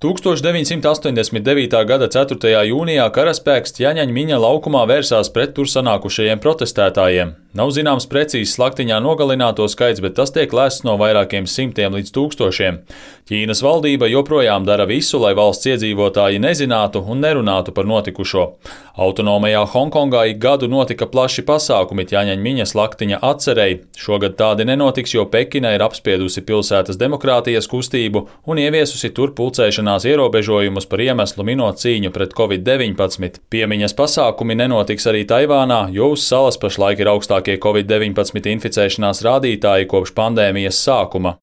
1989. gada 4. jūnijā karaspēks Tjaņaņmiņa laukumā vērsās pret tur sanākušajiem protestētājiem. Nav zināms precīzi slaktiņā nogalināto skaits, bet tas tiek lēsts no vairākiem simtiem līdz tūkstošiem. Ķīnas valdība joprojām dara visu, lai valsts iedzīvotāji nezinātu un nerunātu par notikušo. Autonomajā Honkongā ik gadu notika plaši pasākumi Tjaņaņmiņa slaktiņa atcerei. Šogad tādi nenotiks, jo Pekina ir apspiedusi pilsētas demokrātijas kustību un ieviesusi tur pulcēšanās ierobežojumus par iemeslu minot cīņu pret Covid-19. Piemiņas pasākumi nenotiks arī Taivānā, jo uz salas pašlaik ir augstākie Covid-19 inficēšanās rādītāji kopš pandēmijas sākuma.